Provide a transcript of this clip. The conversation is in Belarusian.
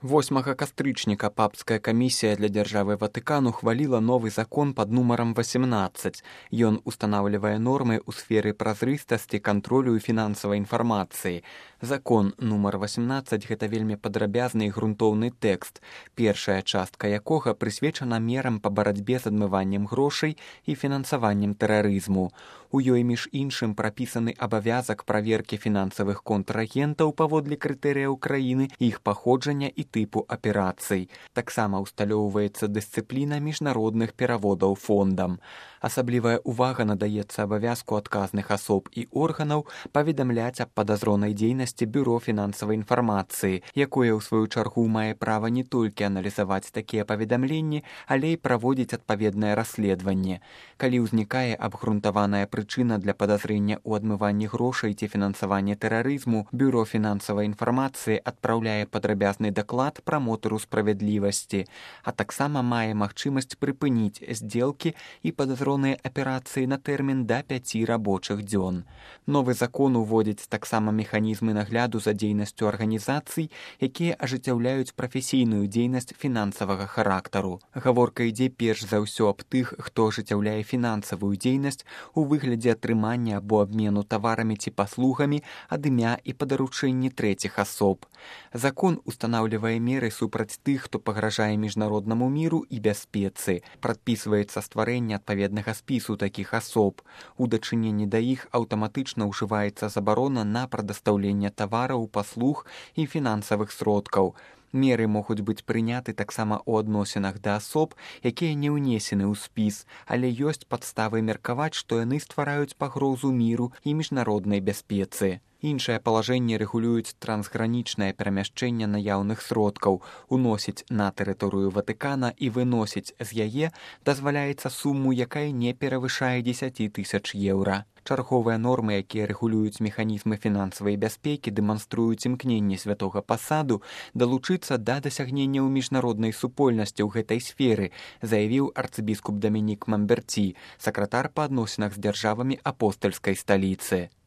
8 кастрычніка папская камісія для дзяржавы Ватыкан ухваліла новы закон пад нумарам 18. Ён устанаўлівае нормы ў сферы празрыстасці, кантролю і фінансавай інфармацыі. Закон нумар 18 гэта вельмі падрабязны і грунтоўны тэкст, першая частка якога прысвечана мерам па барацьбе з адмываннем грошай і фінансаваннем тэрарызму. У ёй між іншым прапісаны абавязак праверкі фінансавых контрагентаў паводле крытэрыяў краіны, іх паходжання і тыпу аперацый. Таксама ўсталёўваецца дысцыпліна міжнародных пераводаў фондам. Асаблівая ўвага надаецца абавязку адказных асоб і органаў паведамляць аб падазронай дзейнасці бюро фінансавай інфармацыі, якое ў сваю чаргу мае права не толькі аналізаваць такія паведамленні, але і праводзіць адпаведнае расследаванне. Калі ўзнікае абгрунтаваная прычына для падазрення ў адмыванні грошай ці фінансаванні тэрарызму, бюро фінансавай інфармацыі адпраўляе падрабязны даклад прамотару справядлівасці, а таксама мае магчымасць прыпыніць здзелкі і падазроныя аперацыі на тэрмін да 5 рабочых дзён. Новы закон уводзіць таксама механізмы нагляду за дзейнасцю арганізацый, якія ажыццяўляюць прафесійную дзейнасць фінансавага характару. Гаворка ідзе перш за ўсё аб тых, хто ажыццяўляе фінансавую дзейнасць у выглядзе атрымання або абмену таварамі ці паслугамі ад імя і па даручэнні трэціх асоб. Закон устанаўлівае меры супраць тых, хто пагражае міжнароднаму міру і бяспецы. Прадпісваецца стварэнне адпаведнага спісу такіх асоб. У дачыненні да іх аўтаматычна ўжываецца забарона на прадастаўленне тавараў, паслуг і фінансавых сродкаў. Меры могуць быць прыняты таксама ў адносінах да асоб, якія не ўнесены ў спіс, але ёсць падставы меркаваць, што яны ствараюць пагрозу міру і міжнароднай бяспецы. Іншыя палажэнні рэгулююць трансгранічнае перамяшчэнне наяўных сродкаў, уносіць на тэрыторыю Ватыкана і выносіць з яе дазваляецца суму, якая не перавышае 10 000 еўра. Чарговыя нормы, якія рэгулююць механізмы фінансавай бяспекі, дэманструюць імкненне святога пасаду далучыцца да дасягненняў міжнароднай супольнасці ў гэтай сферы, заявіў арцыбіскуп Дамінік Мамберці, сакратар па адносінах з дзяржавамі апостальскай сталіцы.